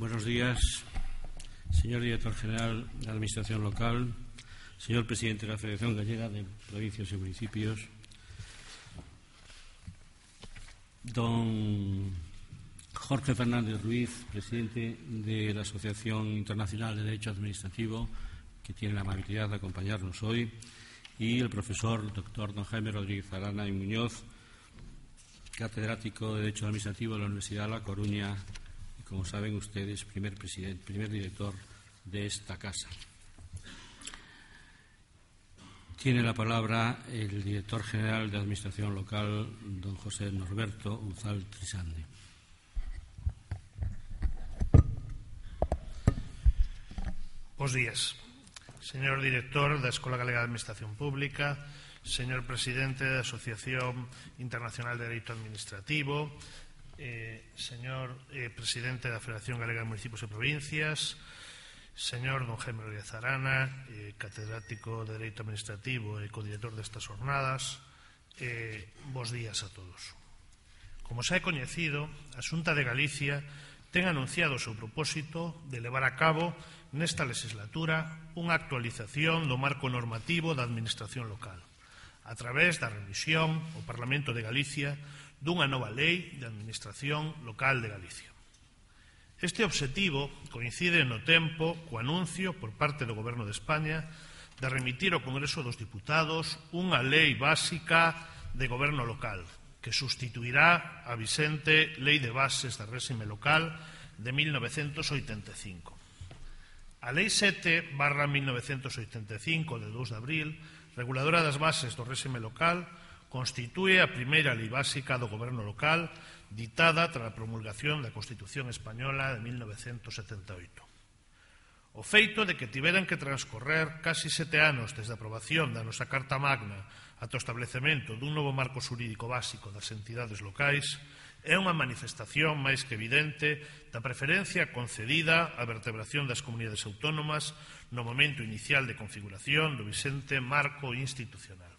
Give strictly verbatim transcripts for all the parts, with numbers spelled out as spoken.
Buenos días, señor director general de la Administración Local, señor presidente de la Federación Gallega de Provincias y Municipios, don Jorge Fernández Ruiz, presidente de la Asociación Internacional de Derecho Administrativo, que tiene la amabilidad de acompañarnos hoy, y el profesor doctor don Jaime Rodríguez Arana y Muñoz, catedrático de Derecho Administrativo de la Universidad de La Coruña y, como saben ustedes, primer, presidente, primer director de esta casa. Tiene la palabra el director general de Administración Local, don José Norberto Unzal Trisande. Bos días. Señor director da Escola Galega de Administración Pública, señor presidente da Asociación Internacional de Dereito Administrativo, eh, señor eh, presidente da Federación Galega de Municipios e Provincias, señor don Jaime Rodríguez Arana, eh, catedrático de Dereito Administrativo e codirector destas jornadas, eh, bos días a todos. Como xa é coñecido, a Xunta de Galicia ten anunciado o seu propósito de levar a cabo nesta legislatura unha actualización do marco normativo da Administración Local a través da remisión ao Parlamento de Galicia dunha nova lei de Administración Local de Galicia. Este obxectivo coincide no tempo co anuncio por parte do Goberno de España de remitir ao Congreso dos Diputados unha lei básica de goberno local que sustituirá a vixente Lei de Bases de Réxime Local de mil novecentos oitenta e cinco. A Lei sete barra mil novecentos oitenta e cinco de dous de abril, reguladora das bases do réxime local, constitúe a primeira lei básica do goberno local ditada tras a promulgación da Constitución Española de mil novecentos setenta e oito. O feito de que tiveran que transcorrer casi sete anos desde a aprobación da nosa Carta Magna ata o establecemento dun novo marco xurídico básico das entidades locais é unha manifestación máis que evidente da preferencia concedida á vertebración das comunidades autónomas no momento inicial de configuración do vixente marco institucional.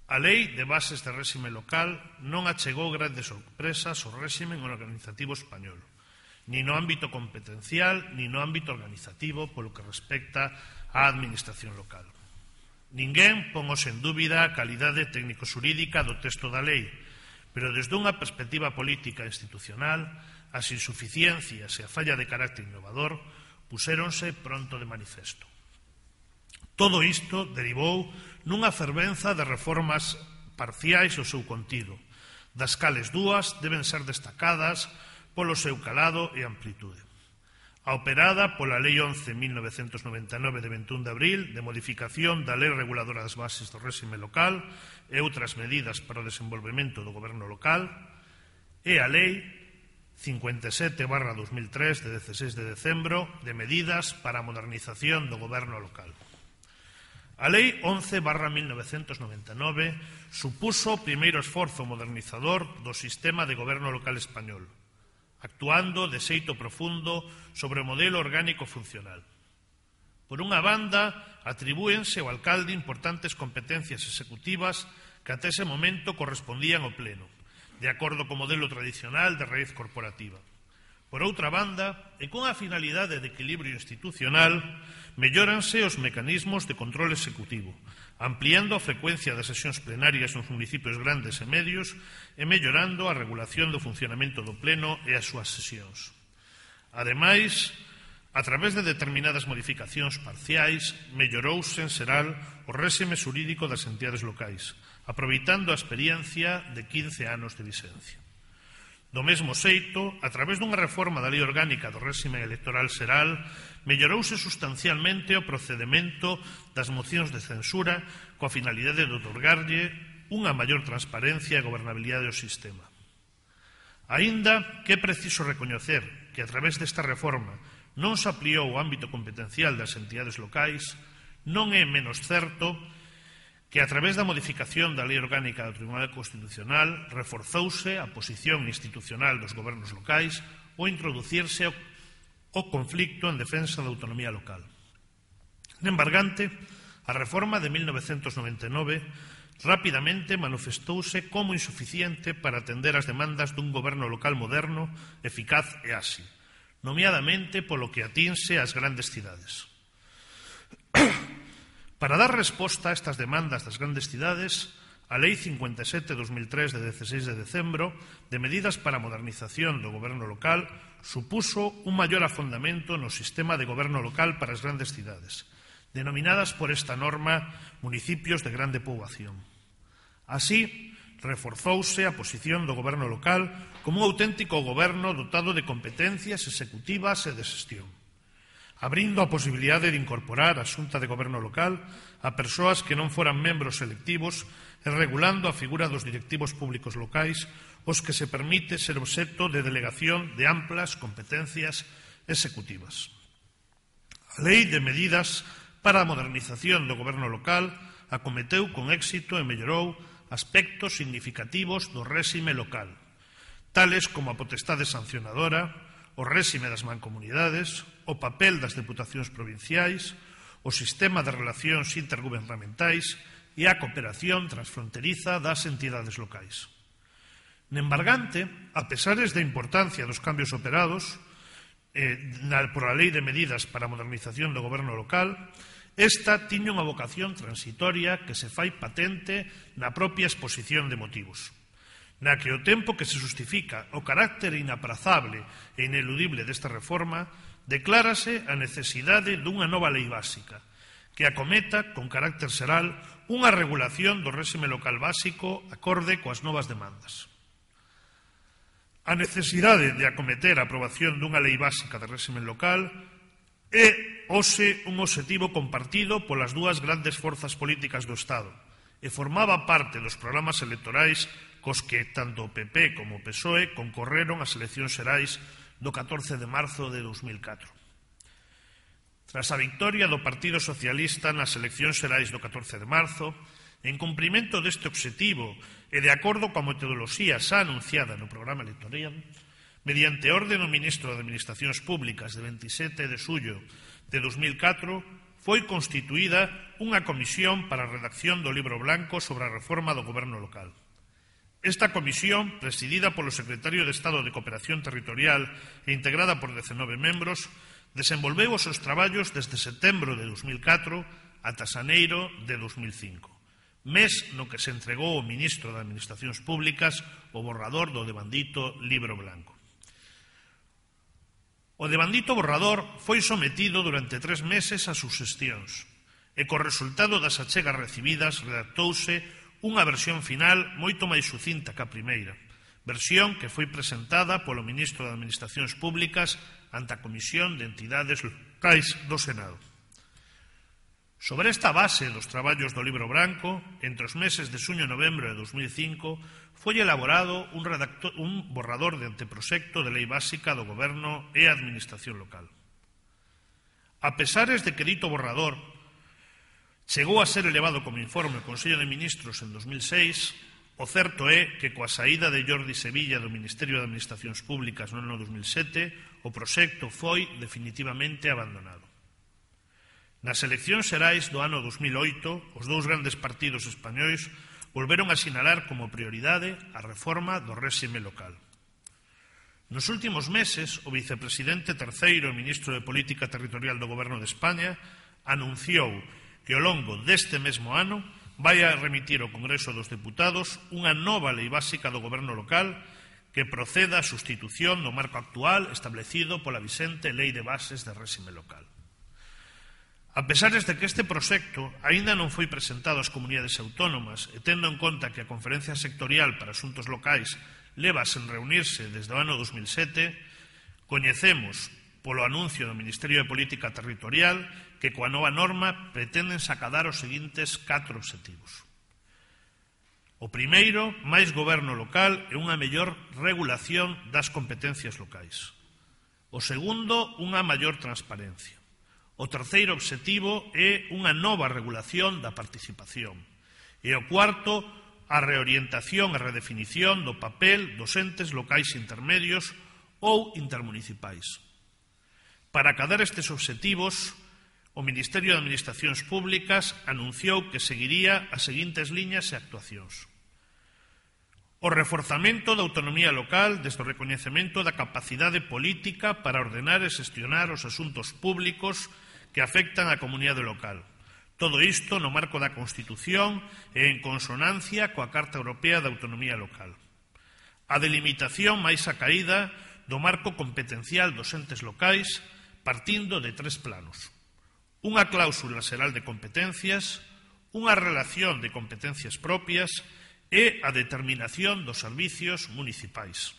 A Lei de Bases de Réxime Local non achegou grandes sorpresas ao réxime organizativo español, ni no ámbito competencial, ni no ámbito organizativo polo que respecta á administración local. Ninguén pon en dúbida a calidade técnico-xurídica do texto da lei, pero desde unha perspectiva política e institucional, as insuficiencias e a falla de carácter innovador puséronse pronto de manifesto. Todo isto derivou nunha fervenza de reformas parciais ao seu contido, das cales dúas deben ser destacadas polo seu calado e amplitude. A operada pola Lei once barra mil novecentos noventa e nove de vinte e un de abril de modificación da Lei Reguladora das Bases do Réxime Local e outras medidas para o desenvolvemento do goberno local e a Lei cincuenta e sete barra dos mil tres de dezasseis de decembro de medidas para a modernización do goberno local. A Lei once barra mil novecentos noventa e nove supuso o primeiro esforzo modernizador do sistema de goberno local español, actuando de xeito profundo sobre o modelo orgánico funcional. Por unha banda, atribúense ao alcalde importantes competencias executivas que até ese momento correspondían ao pleno, de acordo co modelo tradicional de raíz corporativa. Por outra banda, e con a finalidade de equilibrio institucional, mellóranse os mecanismos de control executivo, ampliando a frecuencia das sesións plenarias nos municipios grandes e medios e mellorando a regulación do funcionamento do pleno e as súas sesións. Ademais, a través de determinadas modificacións parciais, mellorouse en xeral o réxime xurídico das entidades locais, aproveitando a experiencia de quince anos de vixencia. Do mesmo xeito, a través dunha reforma da Lei Orgánica do Réxime Electoral Xeral, mellorouse sustancialmente o procedemento das mocións de censura coa finalidade de otorgarlle unha maior transparencia e gobernabilidade ao sistema. Aínda que é preciso recoñecer que a través desta reforma non se ampliou o ámbito competencial das entidades locais, non é menos certo que a través da modificación da Lei Orgánica do Tribunal Constitucional reforzouse a posición institucional dos gobernos locais ou introducirse o conflicto en defensa da autonomía local. En embargante, a reforma de mil novecentos noventa e nove rapidamente manifestouse como insuficiente para atender as demandas dun goberno local moderno, eficaz e áxil, nomeadamente polo que atinse ás grandes cidades. Para dar resposta a estas demandas das grandes cidades, a Lei cincuenta e sete barra dos mil tres de dezasseis de decembro de medidas para a modernización do goberno local supuso un maior afondamento no sistema de goberno local para as grandes cidades, denominadas por esta norma municipios de grande poboación. Así, reforzouse a posición do goberno local como un auténtico goberno dotado de competencias executivas e de xestión, abrindo a posibilidade de incorporar a Xunta de Goberno Local a persoas que non foran membros electivos e regulando a figura dos directivos públicos locais, os que se permite ser obxecto de delegación de amplas competencias executivas. A Lei de Medidas para a Modernización do Goberno Local acometeu con éxito e mellorou aspectos significativos do réxime local, tales como a potestade sancionadora, o réxime das mancomunidades, o papel das deputacións provinciais, o sistema de relacións intergubernamentais e a cooperación transfronteriza das entidades locais. Nembargante, a pesares da importancia dos cambios operados eh, na, por a Lei de Medidas para a Modernización do Goberno Local, esta tiña unha vocación transitoria que se fai patente na propia exposición de motivos, na que o tempo que se justifica o carácter inaprazable e ineludible desta reforma, declárase a necesidade dunha nova lei básica, que acometa con carácter xeral unha regulación do réxime local básico acorde coas novas demandas. A necesidade de acometer a aprobación dunha lei básica de réxime local é hoxe un obxectivo compartido polas dúas grandes forzas políticas do Estado e formaba parte dos programas electorais cos que tanto o P P como o P S O E concorreron ás eleccións xerais do catorce de marzo de dos mil catro. Tras a victoria do Partido Socialista nas eleccións xerais do catorce de marzo, en cumprimento deste obxectivo e de acordo coa metodoloxía xa anunciada no programa electoral, mediante orde do Ministro de Administracións Públicas de veintisiete de xullo de dos mil catro, foi constituída unha comisión para a redacción do libro blanco sobre a reforma do goberno local. Esta comisión, presidida polo secretario de Estado de Cooperación Territorial e integrada por dezenove membros, desenvolveu os seus traballos desde setembro de dos mil catro ata xaneiro de dos mil cinco, mes no que se entregou ao Ministro de Administracións Públicas o borrador do devandito libro blanco. O devandito borrador foi sometido durante tres meses a suxestións e, co resultado das achegas recibidas, redactouse unha versión final moito máis sucinta que a primeira, versión que foi presentada polo Ministro de Administracións Públicas ante a Comisión de Entidades Locais do Senado. Sobre esta base dos traballos do libro branco, entre os meses de xuño e novembro de dos mil cinco, foi elaborado un, redactor, un borrador de anteproxecto de lei básica do Goberno e a Administración local. A pesares de que dito borrador chegou a ser elevado como informe ao Consello de Ministros en dos mil seis, o certo é que coa saída de Jordi Sevilla do Ministerio de Administracións Públicas no ano dos mil sete, o proxecto foi definitivamente abandonado. Nas eleccións xerais do ano dos mil oito, os dous grandes partidos españois volveron a sinalar como prioridade a reforma do réxime local. Nos últimos meses, o vicepresidente terceiro e ministro de Política Territorial do Goberno de España anunciou que ao longo deste mesmo ano vai a remitir ao Congreso dos Deputados unha nova lei básica do goberno local que proceda a sustitución do marco actual establecido pola vixente Lei de Bases de Réxime Local. A pesares de que este proxecto aínda non foi presentado ás comunidades autónomas e tendo en conta que a Conferencia Sectorial para Asuntos Locais leva sen reunirse desde o ano dos mil sete, coñecemos polo anuncio do Ministerio de Política Territorial que coa nova norma pretenden sacadar os seguintes catro obxectivos. O primeiro, máis goberno local e unha mellor regulación das competencias locais. O segundo, unha maior transparencia. O terceiro obxectivo é unha nova regulación da participación. E o cuarto, a reorientación e redefinición do papel dos entes locais intermedios ou intermunicipais. Para acadar estes obxectivos, o Ministerio de Administracións Públicas anunciou que seguiría as seguintes liñas e actuacións. O reforzamento da autonomía local desde o recoñecemento da capacidade política para ordenar e xestionar os asuntos públicos que afectan á comunidade local. Todo isto no marco da Constitución e en consonancia coa Carta Europea da Autonomía Local. A delimitación máis acaída do marco competencial dos entes locais partindo de tres planos. Unha cláusula xeral de competencias, unha relación de competencias propias e a determinación dos servicios municipais.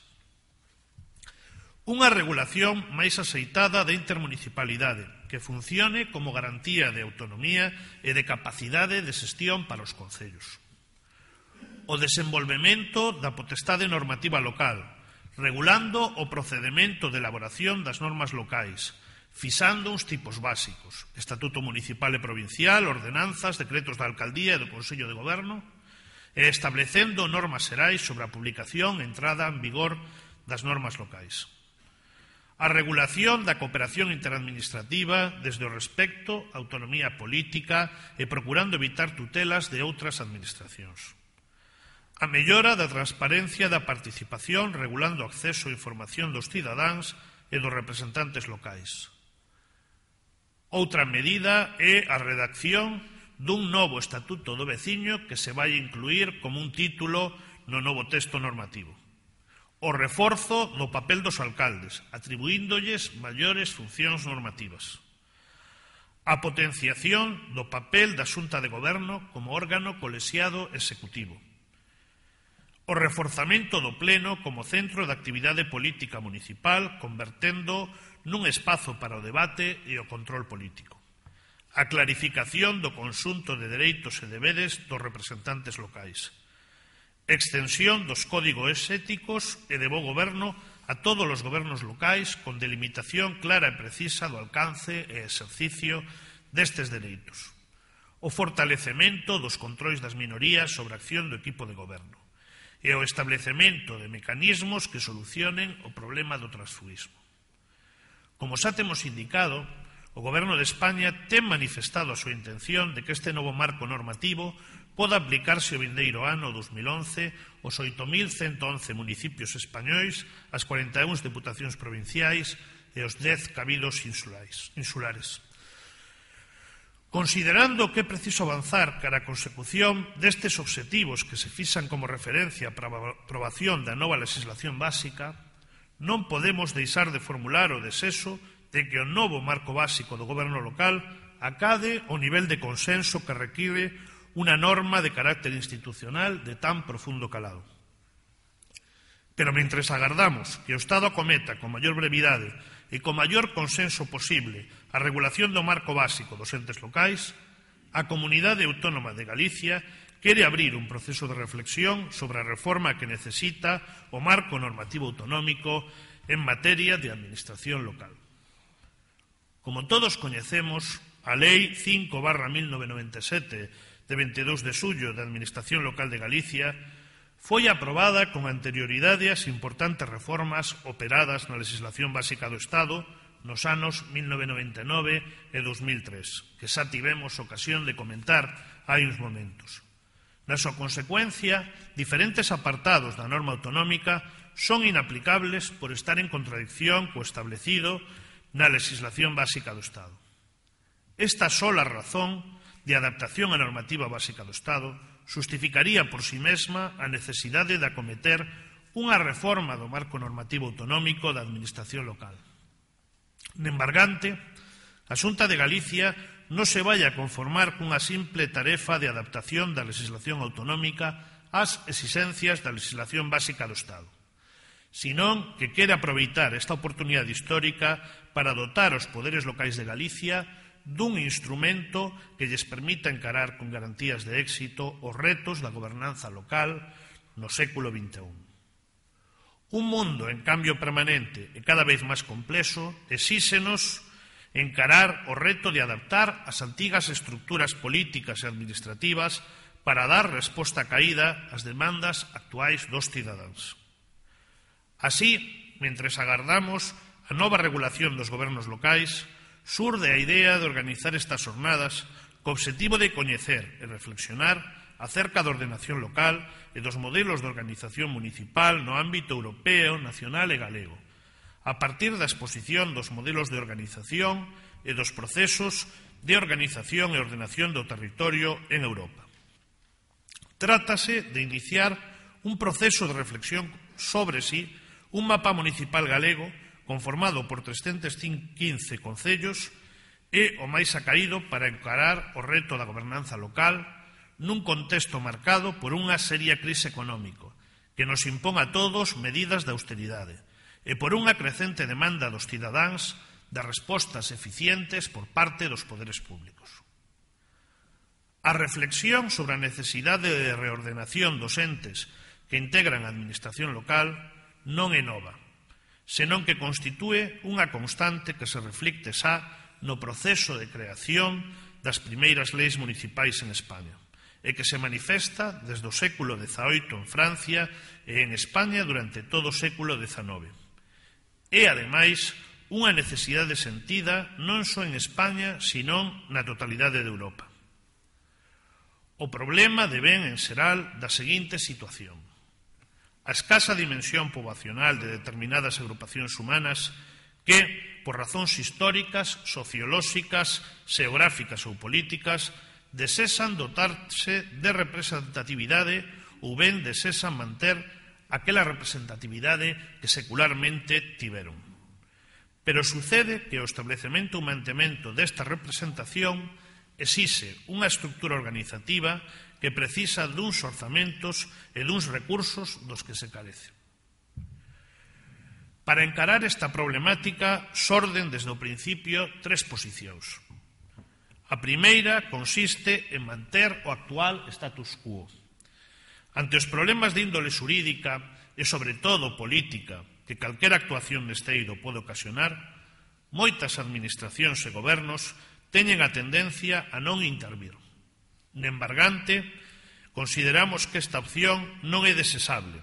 Unha regulación máis aceitada da intermunicipalidade que funcione como garantía de autonomía e de capacidade de xestión para os concellos. O desenvolvemento da potestade normativa local, regulando o procedemento de elaboración das normas locais, fixando uns tipos básicos, Estatuto Municipal e Provincial, ordenanzas, decretos da Alcaldía e do Consello de Goberno, e establecendo normas xerais sobre a publicación e entrada en vigor das normas locais. A regulación da cooperación interadministrativa desde o respecto á autonomía política e procurando evitar tutelas de outras administracións. A mellora da transparencia da participación regulando o acceso a información dos cidadáns e dos representantes locais. Outra medida é a redacción dun novo Estatuto do Veciño que se vai incluir como un título no novo texto normativo. O reforzo do papel dos alcaldes, atribuíndolles maiores funcións normativas. A potenciación do papel da Xunta de Goberno como órgano colexiado executivo. O reforzamento do Pleno como centro de actividade política municipal, convertendo nun espazo para o debate e o control político. A clarificación do conxunto de dereitos e deberes dos representantes locais. Extensión dos códigos éticos e de bo goberno a todos os gobernos locais con delimitación clara e precisa do alcance e exercicio destes dereitos. O fortalecemento dos controis das minorías sobre a acción do equipo de goberno e o establecemento de mecanismos que solucionen o problema do transfugismo. Como xa temos indicado, o Goberno de España ten manifestado a súa intención de que este novo marco normativo poda aplicarse o vindeiro ano dos mil once aos oito mil ciento once municipios españois, as cuarenta e un deputacións provinciais e os dez cabidos insulares. Considerando que é preciso avanzar cara a consecución destes obxectivos que se fixan como referencia para a aprobación da nova legislación básica, non podemos deixar de formular o desexo de que o novo marco básico do goberno local acade o nivel de consenso que require unha norma de carácter institucional de tan profundo calado. Pero mentres agardamos que o Estado acometa con maior brevidade e con maior consenso posible a regulación do marco básico dos entes locais, a Comunidade Autónoma de Galicia quere abrir un proceso de reflexión sobre a reforma que necesita o marco normativo autonómico en materia de administración local. Como todos coñecemos, a Lei cinco barra mil novecentos noventa e sete de veintidós de xullo da Administración Local de Galicia foi aprobada con anterioridade ás importantes reformas operadas na legislación básica do Estado nos anos mil novecentos noventa e nove e dos mil tres, que xa tivemos ocasión de comentar hai uns momentos. Na súa consecuencia, diferentes apartados da norma autonómica son inaplicables por estar en contradicción co establecido na legislación básica do Estado. Esta sola razón de adaptación á normativa básica do Estado xustificaría por si mesma a necesidade de acometer unha reforma do marco normativo autonómico da administración local. Nembargante, a Xunta de Galicia non se vai a conformar cunha simple tarefa de adaptación da legislación autonómica ás exixencias da legislación básica do Estado, senón que quere aproveitar esta oportunidade histórica para dotar os poderes locais de Galicia dun instrumento que lles permita encarar con garantías de éxito os retos da gobernanza local no século vinte e un. Un mundo en cambio permanente e cada vez máis complexo exíxenos encarar o reto de adaptar as antigas estructuras políticas e administrativas para dar resposta caída ás demandas actuais dos cidadáns. Así, mentres agardamos a nova regulación dos gobernos locais, surde a idea de organizar estas jornadas co obxectivo de coñecer e reflexionar acerca da ordenación local e dos modelos de organización municipal no ámbito europeo, nacional e galego, a partir da exposición dos modelos de organización e dos procesos de organización e ordenación do territorio en Europa. Trátase de iniciar un proceso de reflexión sobre si un mapa municipal galego conformado por trescentos quince concellos é o máis acaído para encarar o reto da gobernanza local nun contexto marcado por unha seria crise económica que nos impón a todos medidas de austeridade e por unha crecente demanda dos cidadáns de respostas eficientes por parte dos poderes públicos. A reflexión sobre a necesidade de reordenación dos entes que integran a administración local non é nova, senón que constitúe unha constante que se reflicte xa no proceso de creación das primeiras leis municipais en España e que se manifesta desde o século dezaoito en Francia e en España durante todo o século dezanove. É, ademais, unha necesidade sentida non só en España, senón na totalidade de Europa. O problema devén en xeral da seguinte situación. A escasa dimensión poboacional de determinadas agrupacións humanas que, por razóns históricas, sociolóxicas, xeográficas ou políticas, desesan dotarse de representatividade ou ben desesan manter aquela representatividade que secularmente tiveron. Pero sucede que o establecemento ou mantemento desta representación exixe unha estructura organizativa que precisa duns orzamentos e duns recursos dos que se carece. Para encarar esta problemática xorden desde o principio tres posicións. A primeira consiste en manter o actual status quo. Ante os problemas de índole xurídica e, sobre todo, política que calquera actuación neste eido pode ocasionar, moitas administracións e gobernos teñen a tendencia a non intervir. Nembargante, consideramos que esta opción non é desesable,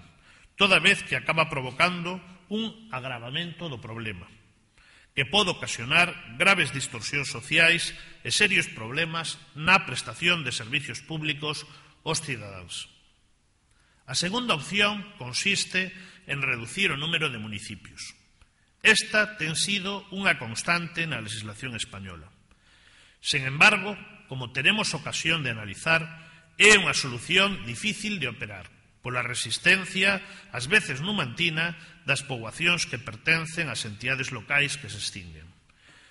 toda vez que acaba provocando un agravamento do problema, que pode ocasionar graves distorsións sociais e serios problemas na prestación de servicios públicos aos cidadáns. A segunda opción consiste en reducir o número de municipios. Esta ten sido unha constante na legislación española. Sen embargo, como teremos ocasión de analizar, é unha solución difícil de operar, pola resistencia, ás veces numantina, das poboacións que pertencen ás entidades locais que se extinguen.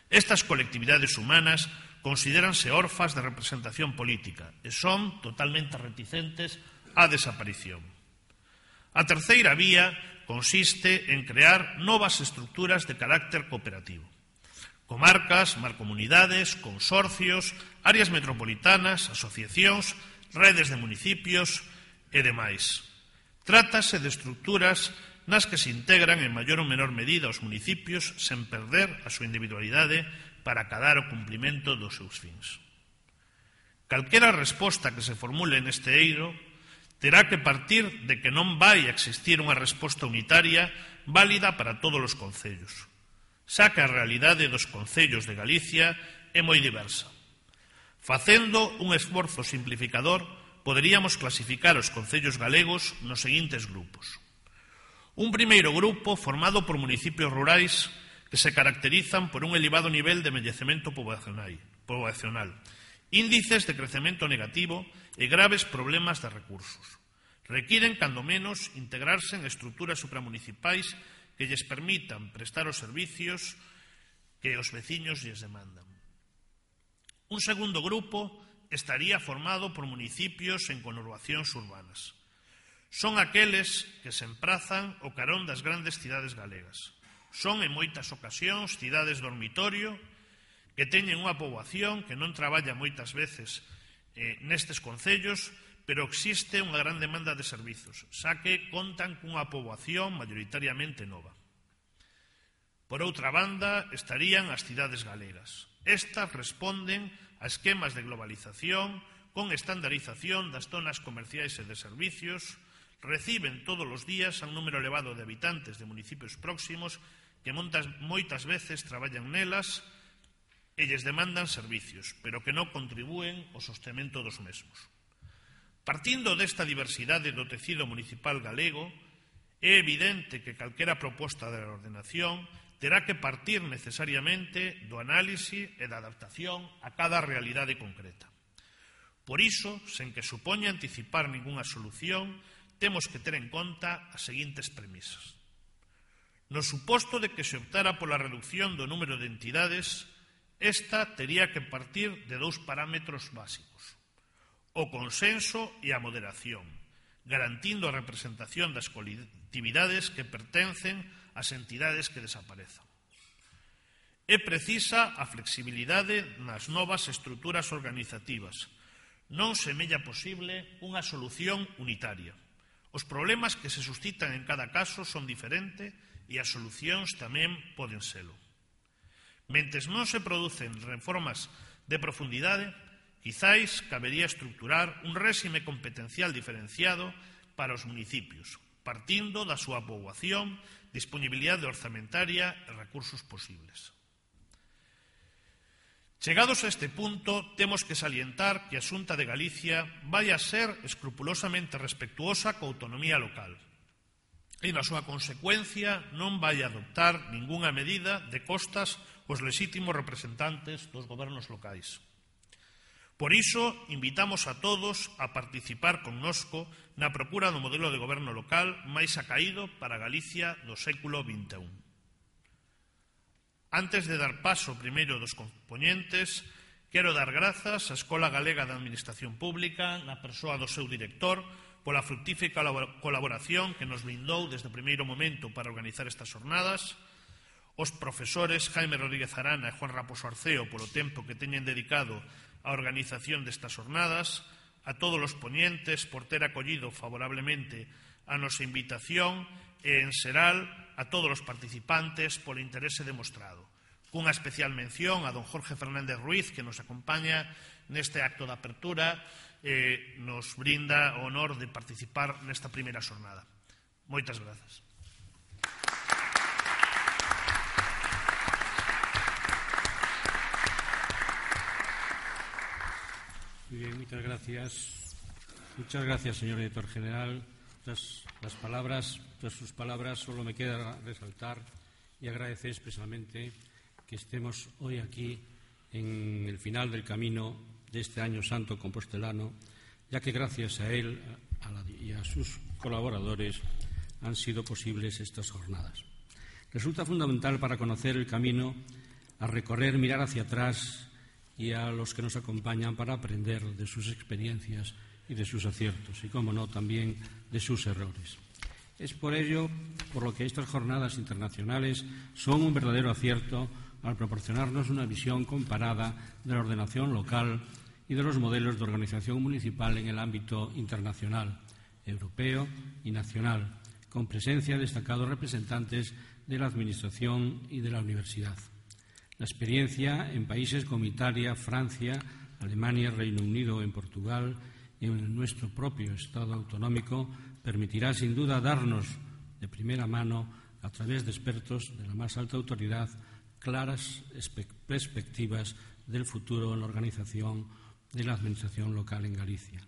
Estas colectividades humanas considéranse órfas de representación política e son totalmente reticentes á desaparición. A terceira vía consiste en crear novas estruturas de carácter cooperativo. Comarcas, mancomunidades, consorcios, áreas metropolitanas, asociacións, redes de municipios e demais. Trátase de estruturas nas que se integran en maior ou menor medida os municipios sen perder a súa individualidade para acadar o cumprimento dos seus fins. Calquera resposta que se formule neste eido terá que partir de que non vai a existir unha resposta unitaria válida para todos os concellos, xa que a realidade dos concellos de Galicia é moi diversa. Facendo un esforzo simplificador, poderíamos clasificar os concellos galegos nos seguintes grupos. Un primeiro grupo formado por municipios rurais que se caracterizan por un elevado nivel de envellecemento poboacional, índices de crecemento negativo e graves problemas de recursos. Requiren, cando menos, integrarse en estruturas supramunicipais que lles permitan prestar os servicios que os veciños lles demandan. Un segundo grupo estaría formado por municipios en conurbacións urbanas. Son aqueles que se emprazan ao carón das grandes cidades galegas. Son, en moitas ocasións, cidades dormitorio que teñen unha poboación que non traballa moitas veces eh, nestes concellos, pero existe unha gran demanda de servizos, xa que contan cunha poboación maioritariamente nova. Por outra banda, estarían as cidades galegas. Estas responden a esquemas de globalización con estandarización das zonas comerciais e de servicios, reciben todos os días un número elevado de habitantes de municipios próximos que montas, moitas veces traballan nelas e lles demandan servicios, pero que non contribúen ao sostemento dos mesmos. Partindo desta diversidade do tecido municipal galego, é evidente que calquera proposta de ordenación terá que partir necesariamente do análise e da adaptación a cada realidade concreta. Por iso, sen que supoña anticipar ningunha solución, temos que ter en conta as seguintes premisas. No suposto de que se optara pola reducción do número de entidades, esta tería que partir de dous parámetros básicos: o consenso e a moderación, garantindo a representación das colectividades que pertencen ás entidades que desaparezan. É precisa a flexibilidade nas novas estruturas organizativas. Non semella posible unha solución unitaria. Os problemas que se suscitan en cada caso son diferentes e as solucións tamén poden selo. Mentres non se producen reformas de profundidade, quizáis cabería estruturar un réxime competencial diferenciado para os municipios, partindo da súa poboación, disponibilidade orzamentaria e recursos posibles. Chegados a este punto, temos que salientar que a Xunta de Galicia vai a ser escrupulosamente respectuosa coa autonomía local e, na súa consecuencia, non vai a adoptar ningunha medida de costas aos lexítimos representantes dos gobernos locais. Por iso, invitamos a todos a participar connosco na procura do modelo de goberno local máis acaído para Galicia do século vinte e un. Antes de dar paso primeiro dos compoñentes, quero dar grazas á Escola Galega de Administración Pública, na persoa do seu director, pola fructífica colaboración que nos brindou desde o primeiro momento para organizar estas jornadas, os profesores Jaime Rodríguez Arana e Juan Raposo Arceo polo tempo que teñen dedicado á organización destas jornadas, a todos os poñentes por ter acollido favorablemente a nosa invitación e, en xeral, a todos os participantes polo interese demostrado. Cunha especial mención a don Jorge Fernández Ruiz, que nos acompaña neste acto de apertura e nos brinda o honor de participar nesta primeira xornada. Moitas grazas. Muy bien, muchas gracias. Muchas gracias, señor director general. Tras las palabras, tras sus palabras, solo me queda resaltar y agradecer expresamente que estemos hoy aquí en el final del camino de este año santo compostelano, ya que gracias a él a la, y a sus colaboradores han sido posibles estas jornadas. Resulta fundamental para conocer el camino a recorrer, mirar hacia atrás y a los que nos acompañan para aprender de sus experiencias y de sus aciertos y, como no, también de sus errores. Es por ello por lo que estas jornadas internacionales son un verdadero acierto al proporcionarnos una visión comparada de la ordenación local y de los modelos de organización municipal en el ámbito internacional, europeo y nacional, con presencia de destacados representantes de la Administración y de la Universidad. La experiencia en países como Italia, Francia, Alemania, Reino Unido o en Portugal y en nuestro propio Estado autonómico permitirá sin duda darnos de primera mano, a través de expertos de la más alta autoridad, claras perspectivas del futuro en la organización de la Administración local en Galicia.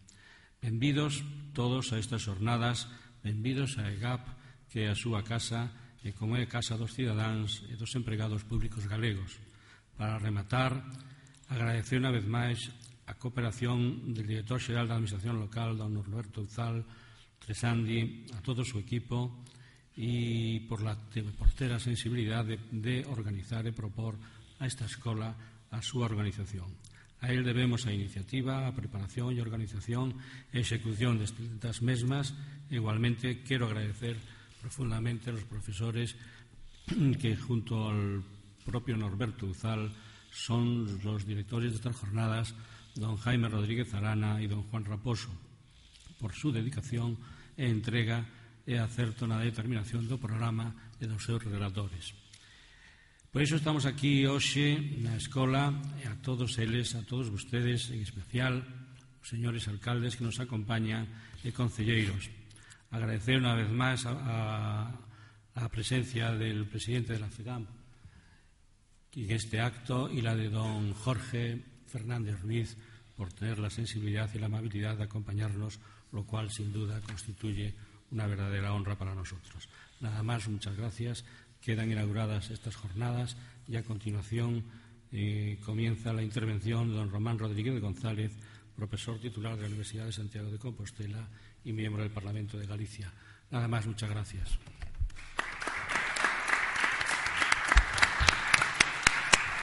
Benvidos todos a estas jornadas, benvidos a EGAP, que é a súa casa e como é a casa dos cidadáns e dos empregados públicos galegos. Para rematar, agradecer unha vez máis a cooperación del director xeral da Administración local, don Norberto Uzal Tresandi, a todo o seu equipo e por la portera sensibilidad de, de organizar e propor a esta escola a súa organización. A él debemos a iniciativa, a preparación e organización e execución destas mesmas. Igualmente, quero agradecer profundamente a los profesores que, junto al propio Norberto Uzal, son los directores de estas jornadas, don Jaime Rodríguez Arana y don Juan Raposo, por su dedicación e entrega e acerto na determinación do programa e dos seus relatores. Por iso estamos aquí hoxe na escola e a todos eles, a todos vostedes, en especial os señores alcaldes que nos acompañan e concelleiros. Agradecer unha vez máis a, a, a presencia del presidente de la FEGAMP en este acto y la de don Jorge Fernández Ruiz, por tener la sensibilidad y la amabilidad de acompañarnos, lo cual sin duda constituye una verdadera honra para nosotros. Nada más, muchas gracias. Quedan inauguradas estas jornadas y a continuación eh, comienza la intervención de don Román Rodríguez González, profesor titular de la Universidad de Santiago de Compostela y miembro del Parlamento de Galicia. Nada más, muchas gracias.